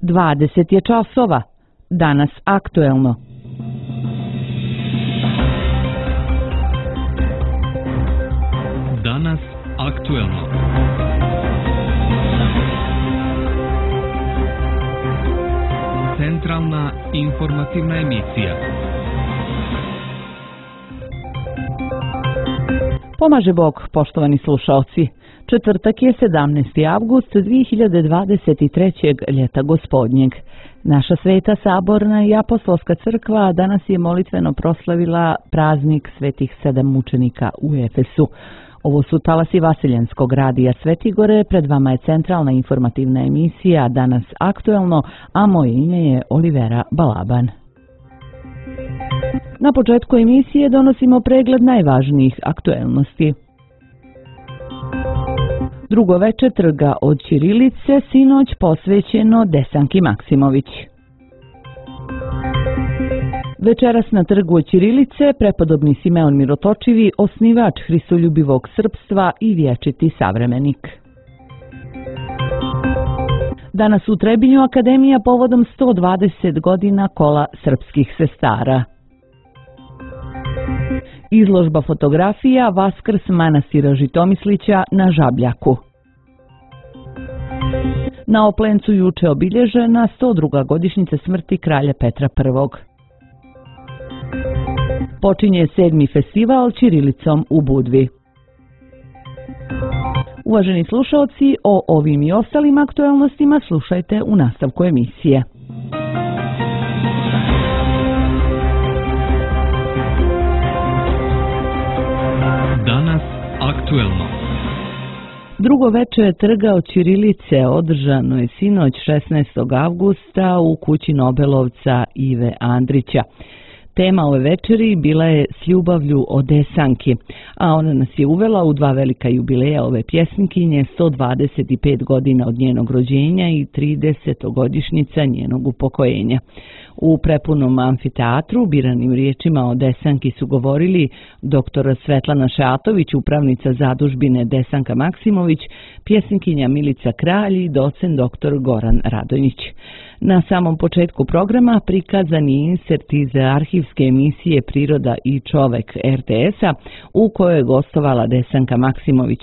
20 je časova. Danas aktuelno. Danas aktuelno. Centralna informativna emisija. Pomaže Bog, poštovani slušalci. Četvrtak je 17. avgust 2023. ljeta gospodnjeg. Naša Sveta Saborna i Apostolska crkva danas je molitveno proslavila praznik svetih 7 mučenika u Efesu. Ovo su talasi Vasiljanskog radija Svetigore, pred vama je centralna informativna emisija Danas aktuelno, a moje ime je Olivera Balaban. Na početku emisije donosimo pregled najvažnijih aktuelnosti. Drugo veče trga od ćirilice sinoć posvećeno Desanki Maksimović. Večeras na trgu od ćirilice prepodobni Simeon Mirotočivi, osnivač hristoljubivog srpstva i vječiti savremenik. Danas u Trebinju Akademija povodom 120 godina kola srpskih sestara. Izložba fotografija Vaskrs manastira Žitomislića na Žabljaku. Na Oplencu juče obilježena 102. godišnjica smrti kralja Petra I. Počinje 7. festival ćirilicom u Budvi. Uvaženi slušalci, o ovim i ostalim aktuelnostima slušajte u nastavku emisije. Danas aktuelno. Drugo veče trga od ćirilice održano je sinoć 16. avgusta u kući Nobelovca Ive Andrića. Tema ove večeri bila je S ljubavlju o Desanki, a ona nas je uvela u dva velika jubileja ove pjesnikinje, 125 godina od njenog rođenja i 30. godišnjica njenog upokojenja. U prepunom amfiteatru biranim riječima o Desanki su govorili dr. Svetlana Šatović, upravnica zadužbine Desanka Maksimović, pjesnikinja Milica Kralj i docent dr. Goran Radonjić. Na samom početku programa prikazan je insert iz arhivske emisije Priroda i čovek RTS-a u kojoj je gostovala Desanka Maksimović.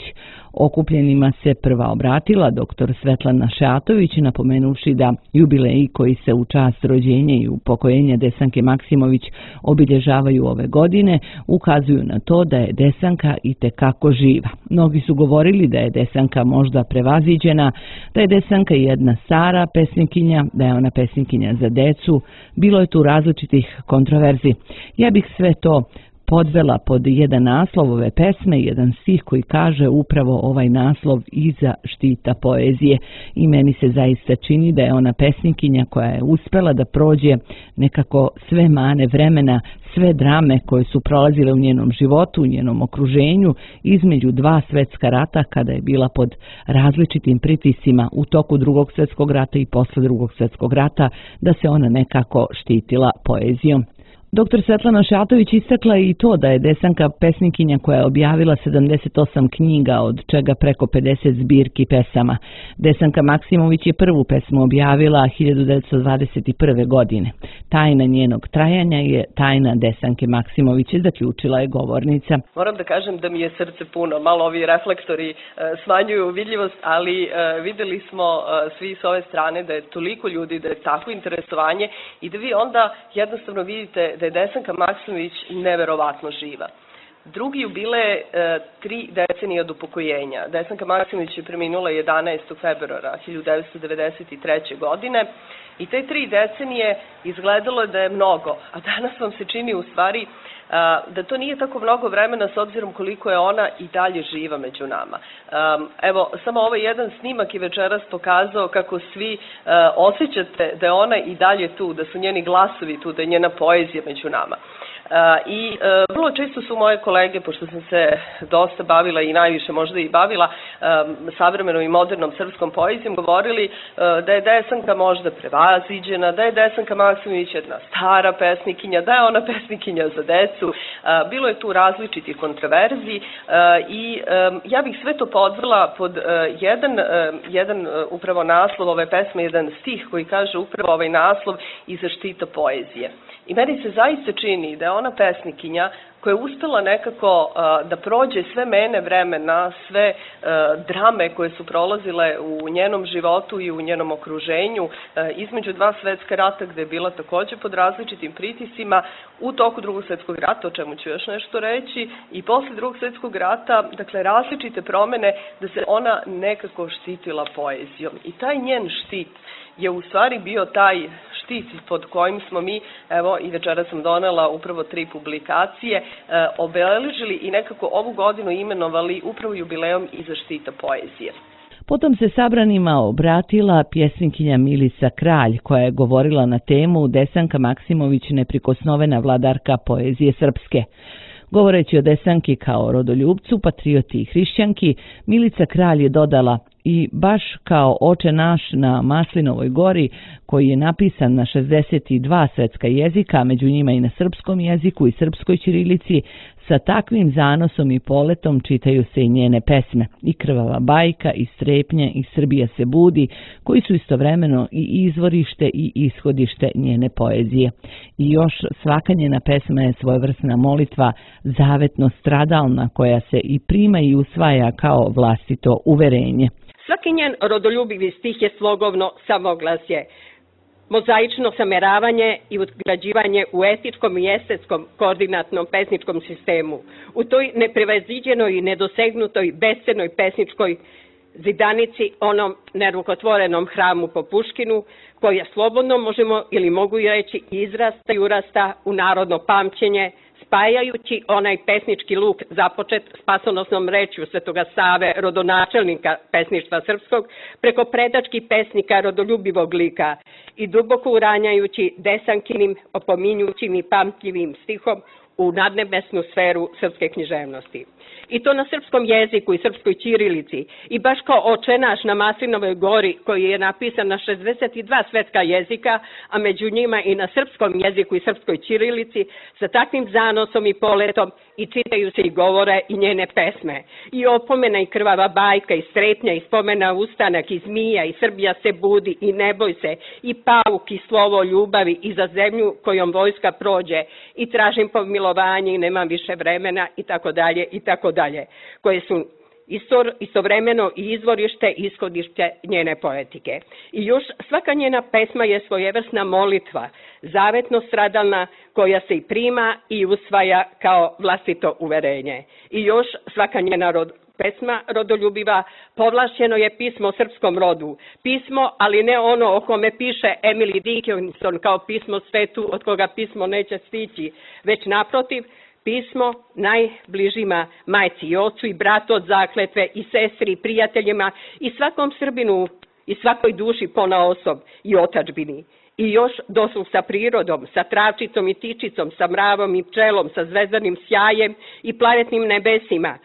Okupljenima se prva obratila dr. Svetlana Šatović, napomenuvši da jubileji koji se u čast rođenja i upokojenja Desanke Maksimović obilježavaju ove godine ukazuju na to da je Desanka itekako živa. Mnogi su govorili da je Desanka možda prevaziđena, da je Desanka jedna stara pesnikinja, da je ona pesnikinja za decu. Bilo je tu različitih kontroverzi. Ja bih sve to podvela pod jedan naslov ove pesme, jedan stih koji kaže upravo ovaj naslov iza štita poezije. I meni se zaista čini da je ona pesnikinja koja je uspela da prođe nekako sve mane vremena, sve drame koje su prolazile u njenom životu, u njenom okruženju, između dva svjetska rata kada je bila pod različitim pritiscima u toku Drugog svjetskog rata i posle Drugog svjetskog rata, da se ona nekako štitila poezijom. Dr. Svetlana Šatović istakla i to da je Desanka pesnikinja koja je objavila 78 knjiga, od čega preko 50 zbirki pesama. Desanka Maksimović je prvu pesmu objavila 1921. godine. Tajna njenog trajanja je tajna Desanke Maksimović, zaključila je govornica. Moram da kažem da mi je srce puno, malo ovi reflektori smanjuju vidljivost, ali videli smo svi s ove strane da je toliko ljudi, da je tako interesovanje i da vi onda jednostavno vidite da je Desanka Maksimović neverovatno živa. Drugi jubile 3 decenije od upokojenja. Desanka Maksimović je preminula 11. februara 1993. godine i te 3 decenije izgledalo je da je mnogo, a danas vam se čini u stvari da to nije tako mnogo vremena s obzirom koliko je ona i dalje živa među nama. Evo, samo ovaj jedan snimak je večeras pokazao kako svi osjećate da je ona i dalje tu, da su njeni glasovi tu, da je njena poezija među nama. I vrlo često su moje kolege, pošto sam se dosta bavila i najviše možda i bavila savremenom i modernom srpskom poezijom, govorili da je Desanka možda prevaziđena, da je Desanka Maksimović jedna stara pesnikinja, da je ona pesnikinja za decu. decu. Bilo je tu različitih kontroverzi i ja bih sve to podvela pod jedan upravo naslov ove pesme, jedan stih koji kaže upravo ovaj naslov i zaštita poezije. I meni se zaista čini da je ona pesnikinja koja je uspela nekako da prođe sve mene vremena, sve drame koje su prolazile u njenom životu i u njenom okruženju, između dva svetska rata gde je bila takođe pod različitim pritisima, u toku Drugog svetskog rata, o čemu ću još nešto reći, i posle Drugog svetskog rata, dakle različite promene, da se ona nekako štitila poezijom. I taj njen štit je u stvari bio taj štit pod kojim smo mi, evo i večera sam donela upravo 3 publikacije, obeležili i nekako ovu godinu imenovali upravo jubilejom i zaštita poezije. Potom se sabranima obratila pjesnikinja Milica Kralj, koja je govorila na temu Desanka Maksimović neprikosnovena vladarka poezije srpske. Govoreći o Desanki kao rodoljubcu, patrioti i hrišćanki, Milica Kralj je dodala: i baš kao Oče naš na Maslinovoj gori, koji je napisan na 62 svetska jezika, među njima i na srpskom jeziku i srpskoj ćirilici, sa takvim zanosom i poletom čitaju se i njene pesme, i Krvava bajka, i Strepnje, i Srbija se budi, koji su istovremeno i izvorište i ishodište njene poezije. I još svaka njena pesma je svojevrsna molitva, zavetno stradalna, koja se i prima i usvaja kao vlastito uverenje. Svaki njen rodoljubivi stih je slogovno samoglasje, mozaično sameravanje i utgrađivanje u etičkom i estetskom koordinatnom pesničkom sistemu, u toj neprevaziđenoj i nedosegnutoj bescenoj pesničkoj zidanici, onom nerukotvorenom hramu po Puškinu, koja slobodno možemo ili mogu reći izrasta i urasta u narodno pamćenje, spajajući onaj pesnički luk započet spasonosnom rečju Svetoga Save, rodonačelnika pesništva srpskog, preko predačkih pesnika rodoljubivog lika i duboko uranjajući Desankinim, opominjućim i pamtljivim stihom u nadnebesnu sferu srpske književnosti. I to na srpskom jeziku i srpskoj ćirilici. I baš kao Oče naš na Maslinovoj gori, koji je napisan na 62 svetska jezika, a među njima i na srpskom jeziku i srpskoj ćirilici, sa takvim zanosom i poletom i čitaju se i govore i njene pesme. I Opomena i Krvava bajka, i Strepnja, i Spomena ustanak, i Zmija, i Srbija se budi, i Ne boj se, i Pauk, i Slovo ljubavi, i Za zemlju kojom vojska prođe, i Tražim pomilovanje i Nemam više vremena, i tako dalje, i tako dalje, koje su istovremeno i izvorište i ishodište njene poetike. I još svaka njena pesma je svojevrsna molitva, zavetno stradalna, koja se i prima i usvaja kao vlastito uverenje. I još svaka njena pesma rodoljubiva povlašćeno je pismo o srpskom rodu. Pismo, ali ne ono o kome piše Emily Dickinson kao pismo svetu od koga pismo neće stići, već naprotiv, pismo najbližima, majci i ocu i bratu od zakletve i sestri i prijateljima i svakom Srbinu i svakoj duši ponaosob i otadžbini. I još dosluh sa prirodom, sa travčicom i tičicom, sa mravom i pčelom, sa zvezdanim sjajem i planetnim nebesima,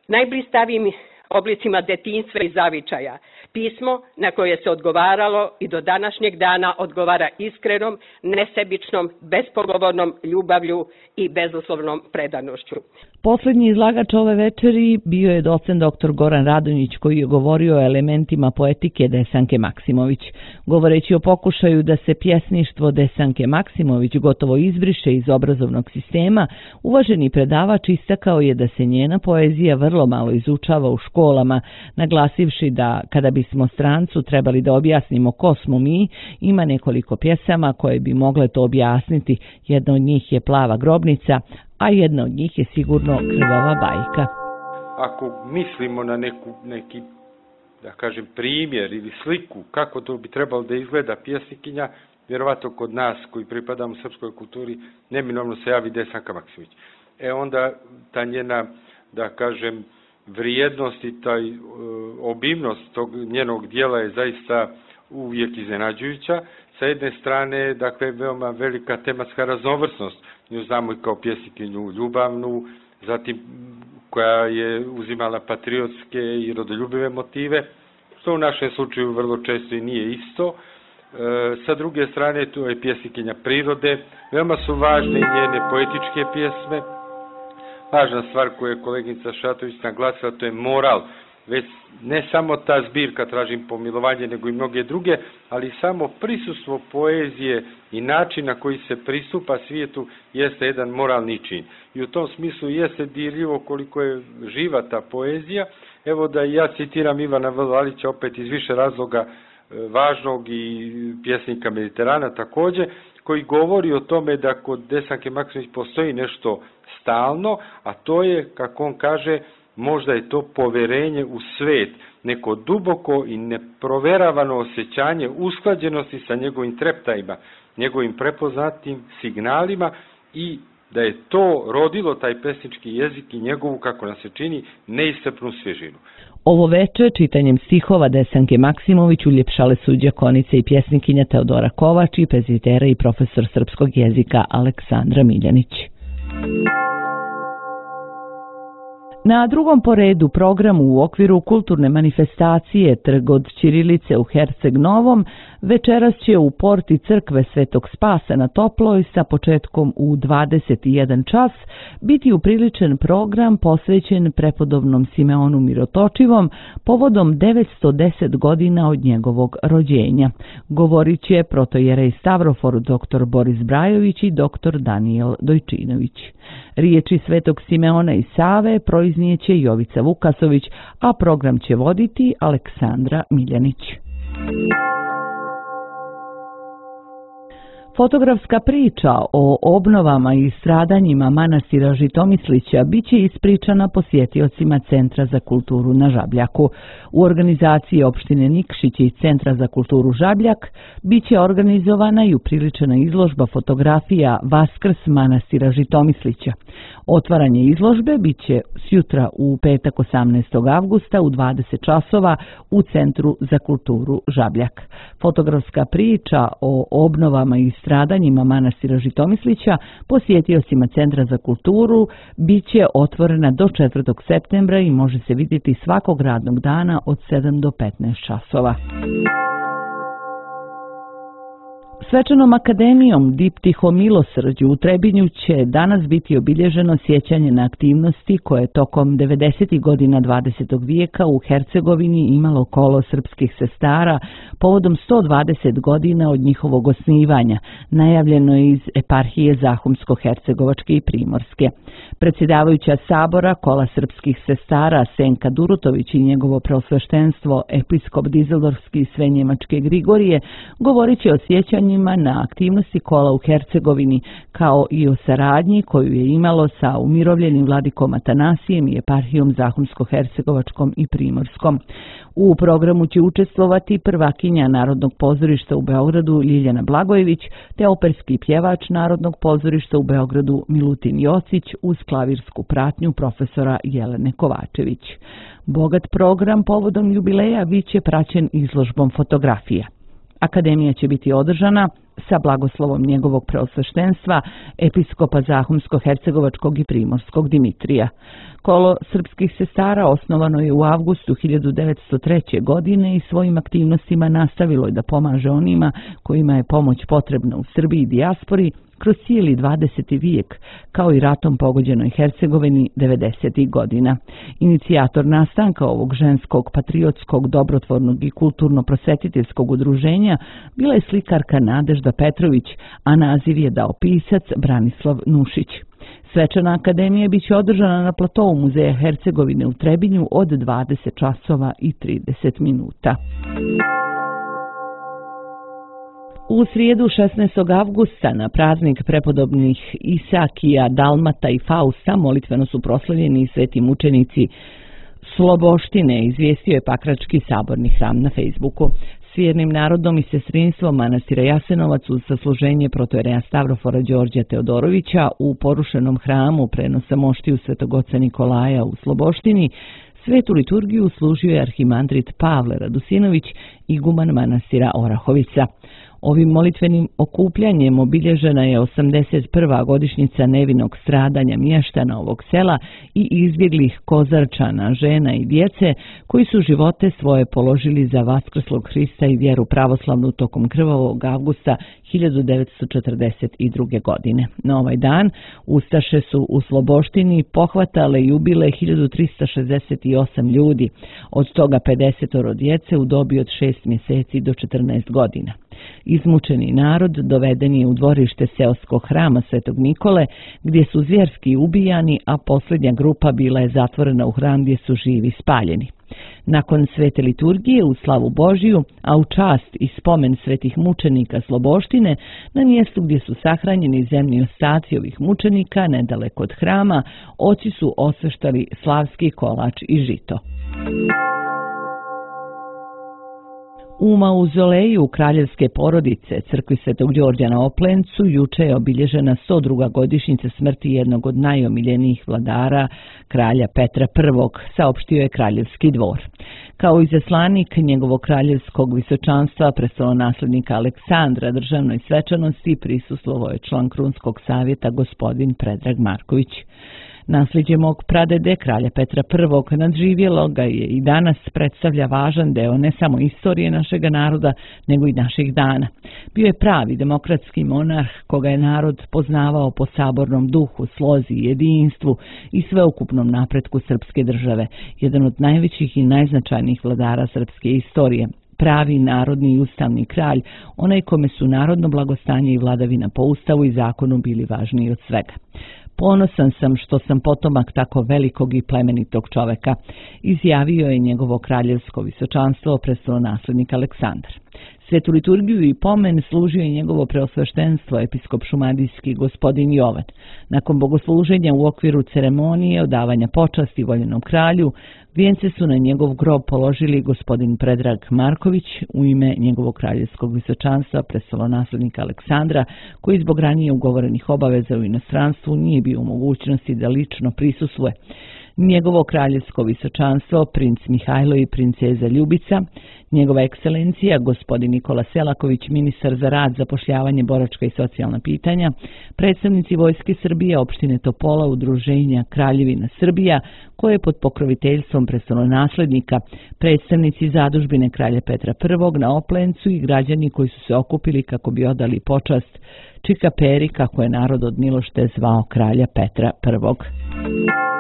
najblistavijim oblicima detinjstva i zavičaja. Pismo na koje se odgovaralo i do današnjeg dana odgovara iskrenom, nesebičnom, bespogovornom ljubavlju i bezuslovnom predanošću. Poslednji izlagač ove večeri bio je docent dr. Goran Radonjić, koji je govorio o elementima poetike Desanke Maksimović. Govoreći o pokušaju da se pjesništvo Desanke Maksimović gotovo izbriše iz obrazovnog sistema, uvaženi predavač istakao je da se njena poezija vrlo malo izučava u školama, naglasivši da kada bismo strancu trebali da objasnimo ko smo mi, ima nekoliko pjesama koje bi mogle to objasniti. Jedna od njih je Plava grobnica, a jedna od njih je sigurno Krvava bajka. Ako mislimo na neki, da kažem, primjer ili sliku kako to bi trebalo da izgleda pjesnikinja, vjerovatno kod nas koji pripadamo srpskoj kulturi, neminovno se javi Desanka Maksimović. Onda ta njena, da kažem, vrijednost i taj obimnost tog njenog dijela je zaista uvijek iznenađujuća. Sa jedne strane, dakle, veoma velika tematska raznovrsnost. Nju znamo i kao pjesnikinju ljubavnu, zatim koja je uzimala patriotske i rodoljubive motive, što u našem slučaju vrlo često i nije isto. Sa druge strane, tu je pjesnikinja prirode. Veoma su važne i njene poetičke pjesme. Važna stvar koju je koleginica Šatović naglasila, to je moral. Već ne samo ta zbirka Tražim pomilovanje, nego i mnoge druge, ali samo prisustvo poezije i način na koji se pristupa svijetu jeste jedan moralni čin. I u tom smislu jeste dirljivo koliko je živa ta poezija. Evo da ja citiram Ivana Valića opet iz više razloga važnog i pjesnika Mediterana također, koji govori o tome da kod Desanke Maksimović postoji nešto stalno, a to je, kako on kaže, možda je to poverenje u svet, neko duboko i neproveravano osjećanje usklađenosti sa njegovim treptajima, njegovim prepoznatim signalima i da je to rodilo taj pesnički jezik i njegovu, kako nam se čini, neiscrpnu svježinu. Ovo veče čitanjem stihova Desanke Maksimović uljepšale su đakonica i pjesnikinja Teodora Kovač i pezitera i profesor srpskog jezika Aleksandra Miljanić. Na drugom po redu programu u okviru kulturne manifestacije Trg od ćirilice u Herceg Novom večeras će u porti crkve Svetog Spasa na Toploj sa početkom u 21 čas biti upriličen program posvećen prepodobnom Simeonu Mirotočivom povodom 910 godina od njegovog rođenja. Govorit će protojerej Stavrofor dr. Boris Brajović i dr. Danijel Dojčinović. Riječi Svetog Simeona i Save proiznijeće Jovica Vukasović, a program će voditi Aleksandra Miljanić. Fotografska priča o obnovama i stradanjima manastira Žitomislića biće ispričana posjetiocima Centra za kulturu na Žabljaku. U organizaciji opštine Nikšić i Centra za kulturu Žabljak biće organizovana i upriličena izložba fotografija Vaskrs manastira Žitomislića. Otvaranje izložbe biće sjutra u petak 18. avgusta u 20 časova u Centru za kulturu Žabljak. Fotografska priča o obnovama i stradanjima manastira Žitomislića posjetiocima Centra za kulturu biće otvorena do 4. septembra i može se vidjeti svakog radnog dana od 7 do 15 časova. Svečanom akademijom Diptiho milosrđu u Trebinju će danas biti obilježeno sjećanje na aktivnosti koje tokom 90. godina 20. vijeka u Hercegovini imalo kolo srpskih sestara povodom 120 godina od njihovog osnivanja, najavljeno je iz eparhije Zahumsko-hercegovačke i Primorske. Predsjedavajuća sabora kola srpskih sestara Senka Durutović i njegovo preosveštenstvo episkop Dizeldorfski Svenjemačke Grigorije govorit će o sjećanjima na aktivnosti kola u Hercegovini, kao i o saradnji koju je imalo sa umirovljenim vladikom Atanasijem i eparhijom Zahumsko-hercegovačkom i Primorskom. U programu će učestvovati prvakinja Narodnog pozorišta u Beogradu Ljiljana Blagojević, te operski pjevač Narodnog pozorišta u Beogradu Milutin Jocić uz klavirsku pratnju profesora Jelene Kovačević. Bogat program povodom jubileja biće praćen izložbom fotografija. Akademija će biti održana sa blagoslovom njegovog preosveštenstva, episkopa Zahumsko-hercegovačkog i Primorskog Dimitrija. Kolo srpskih sestara osnovano je u avgustu 1903. godine i svojim aktivnostima nastavilo je da pomaže onima kojima je pomoć potrebna u Srbiji i dijaspori kroz cijeli 20. vijek, kao i ratom pogođenoj Hercegovini 90. godina. Inicijator nastanka ovog ženskog, patriotskog, dobrotvornog i kulturno-prosvetiteljskog udruženja bila je slikarka Nadežda Petrović, a naziv je dao pisac Branislav Nušić. Svečana akademija biće održana na platovu Muzeja Hercegovine u Trebinju od 20 časova i 30 minuta. U srijedu 16. avgusta na praznik prepodobnih Isakija, Dalmata i Fausta molitveno su proslavljeni sveti mučenici Sloboštine, izvijestio je Pakrački saborni hram na Facebooku. S vjernim narodom i sestrinstvom manastira Jasenovac uz sasluženje protojereja Stavrofora Đorđa Teodorovića u porušenom hramu prenosa moštiju Svetog oca Nikolaja u Sloboštini, svetu liturgiju služio je arhimandrit Pavle Radusinović, iguman manastira Orahovica. Ovim molitvenim okupljanjem obilježena je 81. godišnjica nevinog stradanja mještana ovog sela i izbjeglih Kozarčana, žena i djece koji su živote svoje položili za vaskrslog Hrista i vjeru pravoslavnu tokom krvavog avgusta 1942. godine. Na ovaj dan ustaše su u Sloboštini pohvatale i ubile 1368 ljudi, od toga 50 djece u dobi od 6 mjeseci do 14 godina. Izmučeni narod doveden je u dvorište seoskog hrama Svetog Nikole, gdje su zvjerski ubijani, a posljednja grupa bila je zatvorena u hram gdje su živi spaljeni. Nakon svete liturgije u slavu Božiju, a u čast i spomen svetih mučenika Sloboštine, na mjestu gdje su sahranjeni zemni ostaci ovih mučenika, nedaleko od hrama, oci su osveštali slavski kolač i žito. U mauzoleju kraljevske porodice crkvi Svetog Đorđa na Oplencu juče je obilježena 102. godišnjica smrti jednog od najomiljenijih vladara, kralja Petra I, saopštio je kraljevski dvor. Kao izaslanik njegovog kraljevskog visočanstva, prestolonaslednika Aleksandra, državnoj svečanosti prisustvovao je član Krunskog savjeta gospodin Predrag Marković. Nasljeđe mog pradede, kralja Petra I, nadživjelo ga je i danas predstavlja važan deo ne samo istorije našega naroda, nego i naših dana. Bio je pravi demokratski monarh koga je narod poznavao po sabornom duhu, slozi, jedinstvu i sveukupnom napretku srpske države, jedan od najvećih i najznačajnijih vladara srpske istorije. Pravi narodni i ustavni kralj, onaj kome su narodno blagostanje i vladavina po ustavu i zakonu bili važniji od svega. Ponosan sam što sam potomak tako velikog i plemenitog čoveka, izjavio je njegovo kraljevsko visočanstvo prestolonaslednik Aleksandar. Svetu liturgiju i pomen služio je njegovo preosveštenstvo episkop šumadijski gospodin Jovan. Nakon bogosluženja u okviru ceremonije odavanja počasti voljenom kralju, vijence su na njegov grob položili gospodin Predrag Marković u ime njegovog kraljevskog visočanstva prestolonaslednika Aleksandra, koji zbog ranije ugovorenih obaveza u inostranstvu nije bio u mogućnosti da lično prisustvuje. Njegovo kraljevsko visočanstvo, princ Mihajlo i princeza Ljubica, njegova ekscelencija, gospodin Nikola Selaković, ministar za rad, zapošljavanje, boračka i socijalna pitanja, predstavnici Vojske Srbije, opštine Topola, udruženja Kraljevina Srbija, koje je pod pokroviteljstvom prestolonaslednika, predstavnici zadužbine kralja Petra I na Oplencu i građani koji su se okupili kako bi odali počast Čikaperi, kako je narod od milošte zvao kralja Petra I.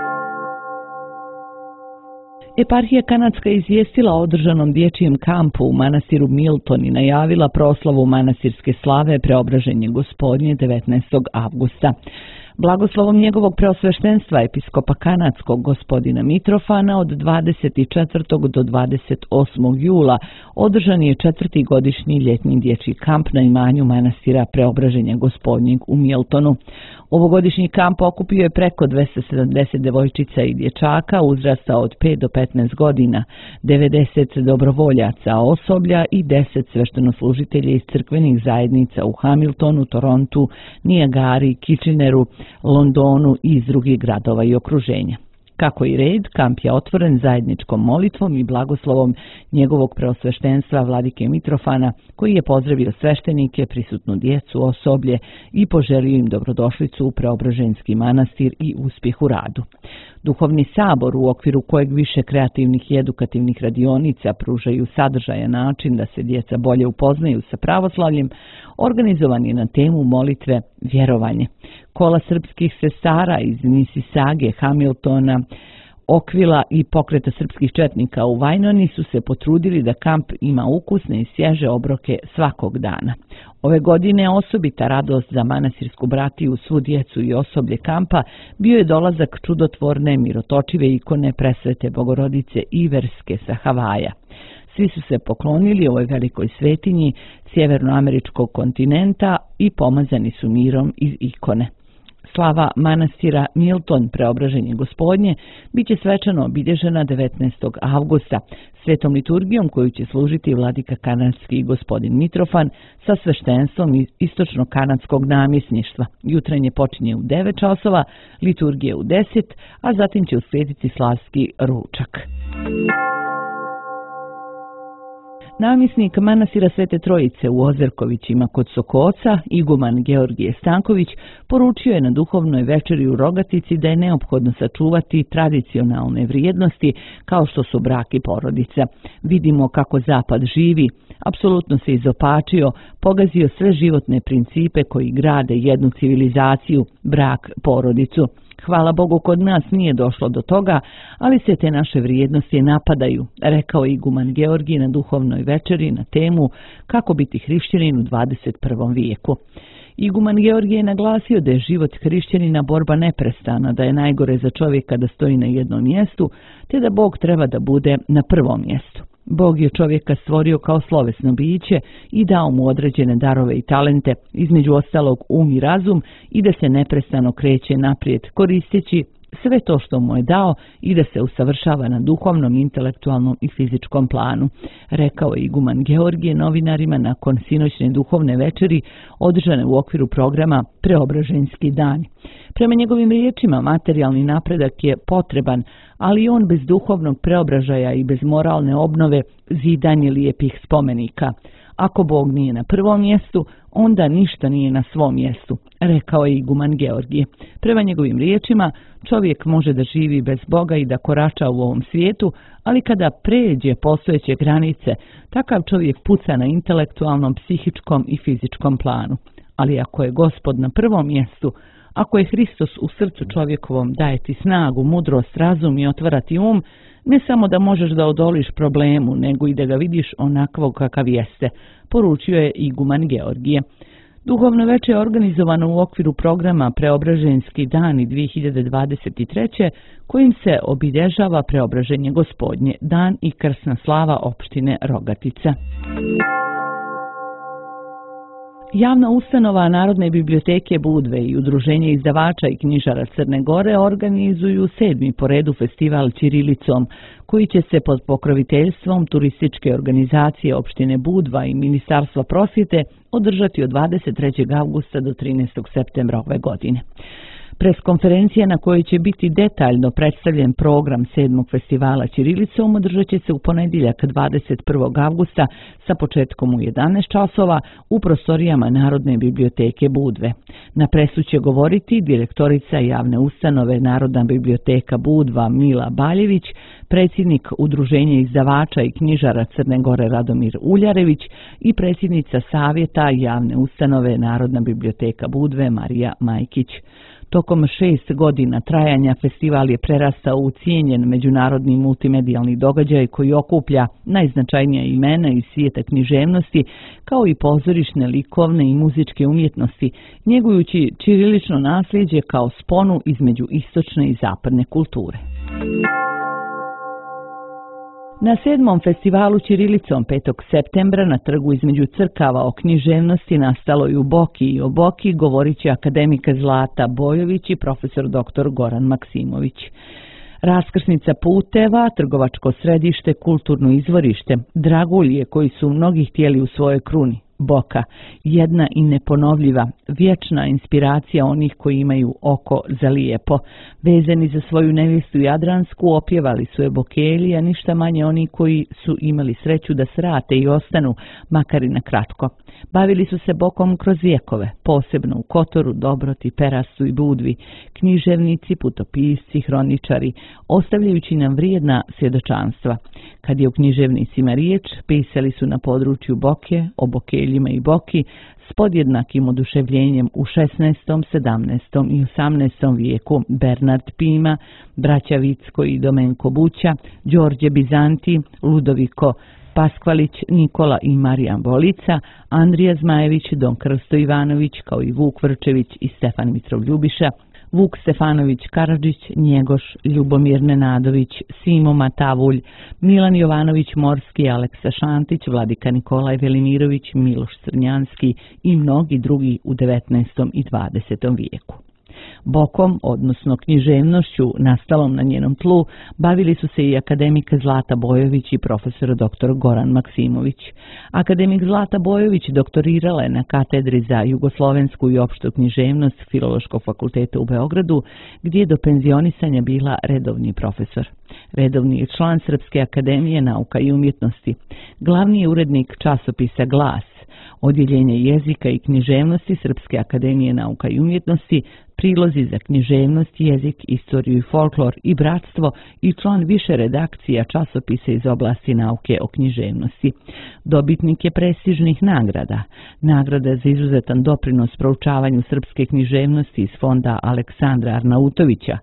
Eparhija kanadska izvijestila o održanom dječjem kampu u manastiru Milton i najavila proslavu manastirske slave Preobraženje Gospodnje 19. avgusta. Blagoslovom njegovog preosveštenstva episkopa kanadskog gospodina Mitrofana od 24. do 28. jula održan je 4. godišnji ljetni dječji kamp na imanju manastira Preobraženja Gospodnjeg u Miltonu. Ovogodišnji kamp okupio je preko 270 devojčica i dječaka uzrasta od 5 do 15 godina, 90 dobrovoljaca osoblja i 10 sveštenoslužitelja iz crkvenih zajednica u Hamiltonu, Torontu, Niagari, Kitcheneru, Londonu i iz drugih gradova i okruženja. Kako i red, kamp je otvoren zajedničkom molitvom i blagoslovom njegovog preosveštenstva vladike Mitrofana, koji je pozdravio sveštenike, prisutnu djecu, osoblje i poželio im dobrodošlicu u Preobraženski manastir i uspjeh u radu. Duhovni sabor, u okviru kojeg više kreativnih i edukativnih radionica pružaju sadržajan način da se djeca bolje upoznaju sa pravoslavljem, organizovan je na temu molitve vjerovanje. Kola srpskih sestara iz Misisage, Hamiltona, Okvila i pokreta srpskih četnika u Vajnoni su se potrudili da kamp ima ukusne i svježe obroke svakog dana. Ove godine osobita radost za manastirsku bratiju, svu djecu i osoblje kampa bio je dolazak čudotvorne mirotočive ikone presvete Bogorodice Iverske sa Havaja. Svi su se poklonili ovoj velikoj svetinji sjevernoameričkog kontinenta i pomazani su mirom iz ikone. Slava manastira Milton Preobraženje Gospodnje bit će svečano obilježena 19. avgusta svetom liturgijom koju će služiti vladika kanadski gospodin Mitrofan sa sveštenstvom iz istočno-kanadskog namjesništva. Jutrenje počinje u 9 časova, liturgije u 10, a zatim će uslijediti slavski ručak. Namjesnik manastira Svete Trojice u Ozerkovićima kod Sokoca, iguman Georgije Stanković, poručio je na duhovnoj večeri u Rogatici da je neophodno sačuvati tradicionalne vrijednosti kao što su brak i porodica. Vidimo kako Zapad živi, apsolutno se izopačio, pogazio sve životne principe koji grade jednu civilizaciju, brak, porodicu. Hvala Bogu, kod nas nije došlo do toga, ali se te naše vrijednosti napadaju, rekao je iguman Georgij na duhovnoj večeri na temu kako biti hrišćanin u 21. vijeku. Iguman Georgij je naglasio da je život hrišćanina borba neprestana, da je najgore za čovjeka da stoji na jednom mjestu, te da Bog treba da bude na prvom mjestu. Bog je čovjeka stvorio kao slovesno biće i dao mu određene darove i talente, između ostalog i razum, i da se neprestano kreće naprijed koristeći sve to što mu je dao i da se usavršava na duhovnom, intelektualnom i fizičkom planu, rekao je iguman Georgije novinarima nakon sinoćne duhovne večeri održane u okviru programa Preobraženjski dani. Prema njegovim riječima, materijalni napredak je potreban, ali on bez duhovnog preobražaja i bez moralne obnove zidanje lijepih spomenika. Ako Bog nije na prvom mjestu, onda ništa nije na svom mjestu, rekao je iguman Georgije. Prema njegovim riječima, čovjek može da živi bez Boga i da korača u ovom svijetu, ali kada pređe postojeće granice, takav čovjek puca na intelektualnom, psihičkom i fizičkom planu. Ali ako je Gospod na prvom mjestu, ako je Hristos u srcu čovjekovom, daje ti snagu, mudrost, razum i otvarati um, ne samo da možeš da odoliš problemu, nego i da ga vidiš onakvog kakav jeste, poručio je iguman Georgije. Duhovno veče je organizovano u okviru programa Preobraženjski dani 2023. kojim se obilježava Preobraženje Gospodnje, dan i krsna slava opštine Rogatica. Javna ustanova Narodne biblioteke Budve i Udruženje izdavača i knjižara Crne Gore organizuju 7. po redu festival Ćirilicom, koji će se pod pokroviteljstvom turističke organizacije opštine Budva i Ministarstva prosvjete održati od 23. avgusta do 13. septembra ove godine. Preskonferencija na kojoj će biti detaljno predstavljen program 7. festivala Ćirilicom održat će se u ponedjeljak 21. avgusta sa početkom u 11 časova u prostorijama Narodne biblioteke Budve. Na presu će govoriti direktorica javne ustanove Narodna biblioteka Budva Mila Baljević, predsjednik Udruženja izdavača i knjižara Crne Gore Radomir Uljarević i predsjednica Savjeta javne ustanove Narodna biblioteka Budve Marija Majkić. Tokom 6 godina trajanja festival je prerastao u cijenjen međunarodni multimedijalni događaj koji okuplja najznačajnija imena iz svijeta književnosti, kao i pozorišne, likovne i muzičke umjetnosti, njegujući ćirilično nasljeđe kao sponu između istočne i zapadne kulture. Na 7. festivalu Ćirilicom 5. septembra na trgu između crkava o književnosti nastaloj u Boki i o Boki govorit će akademika Zlata Bojović i profesor dr. Goran Maksimović. Raskrsnica puteva, trgovačko središte, kulturno izvorište, dragulje koji su mnogi htjeli u svojoj kruni. Boka, jedna i neponovljiva, vječna inspiracija onih koji imaju oko za lijepo. Vezani za svoju nevjestu Jadransku, opjevali su je Bokelji, a ništa manje oni koji su imali sreću da srate i ostanu, makar i na kratko. Bavili su se Bokom kroz vjekove, posebno u Kotoru, Dobroti, Perastu i Budvi, književnici, putopisci, hroničari, ostavljajući nam vrijedna svjedočanstva. Kad je u književnicima riječ, pisali su na području Boke, o Bokeljima i Boki, s podjednakim oduševljenjem u 16., 17. i 18. vijeku Bernard Pima, braća Vicko i Domenko Buća, Đorđe Bizanti, Ludoviko Paskvalić, Nikola i Marijan Bolica, Andrija Zmajević, Don Krsto Ivanović, kao i Vuk Vrčević i Stefan Mitrov Ljubiša, Vuk Stefanović Karadžić, Njegoš, Ljubomir Nenadović, Simo Matavulj, Milan Jovanović Morski, Aleksa Šantić, Vladika Nikolaj Velimirović, Miloš Crnjanski i mnogi drugi u 19. i 20. vijeku. Bokom, odnosno književnošću nastalom na njenom tlu, bavili su se i akademik Zlata Bojović i profesor dr. Goran Maksimović. Akademik Zlata Bojović doktorirala je na katedri za jugoslovensku i opštu književnost Filološkog fakulteta u Beogradu, gdje je do penzionisanja bila redovni profesor. Redovni je član Srpske akademije nauka i umjetnosti. Glavni je urednik časopisa Glas, Odjeljenje jezika i književnosti Srpske akademije nauka i umjetnosti, prilozi za književnost, jezik, istoriju i folklor i bratstvo i član više redakcija časopisa iz oblasti nauke o književnosti. Dobitnik je prestižnih nagrada. Nagrada za izuzetan doprinos proučavanju srpske književnosti iz fonda Aleksandra Arnautovića,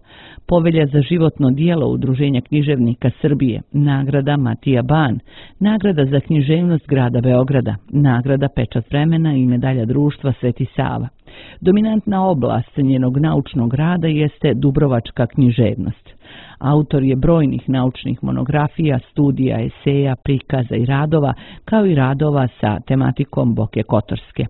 Povelja za životno dijelo Udruženja književnika Srbije, nagrada Matija Ban, nagrada za književnost grada Beograda, nagrada Pečat vremena i medalja društva Sveti Sava. Dominantna oblast njenog naučnog rada jeste dubrovačka književnost. Autor je brojnih naučnih monografija, studija, eseja, prikaza i radova, kao i radova sa tematikom Boke Kotorske.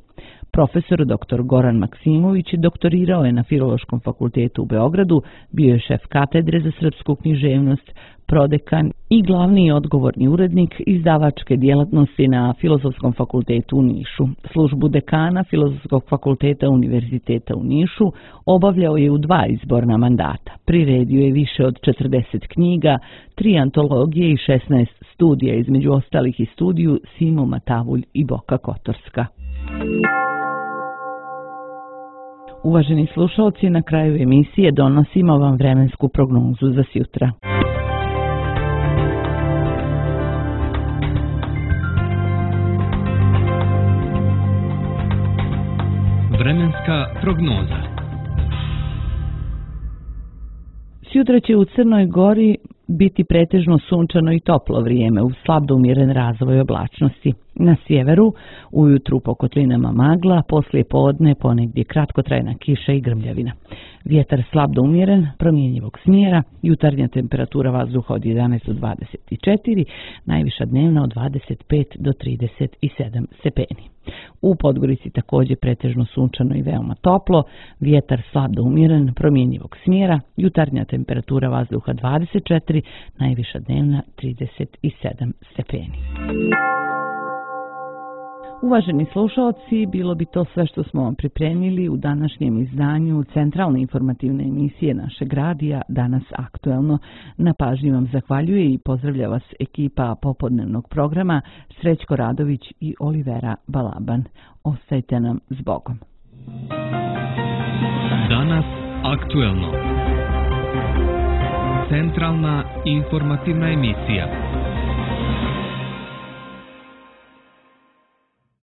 Profesor dr. Goran Maksimović doktorirao je na Filološkom fakultetu u Beogradu, bio je šef katedre za srpsku književnost, prodekan i glavni odgovorni urednik izdavačke djelatnosti na Filozofskom fakultetu u Nišu. Službu dekana Filozofskog fakulteta Univerziteta u Nišu obavljao je u 2 izborna mandata. Priredio je više od 40 knjiga, 3 antologije i 16 studija, između ostalih i studiju Simo Matavulj i Boka Kotorska. Uvaženi slušalci, na kraju emisije donosimo vam vremensku prognozu za sjutra. Vremenska prognoza. Sutra će u Crnoj Gori biti pretežno sunčano i toplo vrijeme uz slab do umjeren razvoj oblačnosti. Na sjeveru ujutru po kotlinama magla, poslije podne ponegdje kratkotrajna kiša i grmljavina. Vjetar slab do umjeren, promjenjivog smjera, jutarnja temperatura vazduha od 11 do 24, najviša dnevna od 25 do 37 stepeni. U Podgorici također pretežno sunčano i veoma toplo, vjetar slab do umjeren, promjenjivog smjera, jutarnja temperatura vazduha 24, najviša dnevna 37 stepeni. Uvaženi slušalci, bilo bi to sve što smo vam pripremili u današnjem izdanju centralne informativne emisije našeg radija Danas aktuelno. Na pažnji vam zahvaljuje i pozdravlja vas ekipa popodnevnog programa Srećko Radović i Olivera Balaban. Ostajte nam s Bogom. Danas aktuelno. Centralna informativna emisija.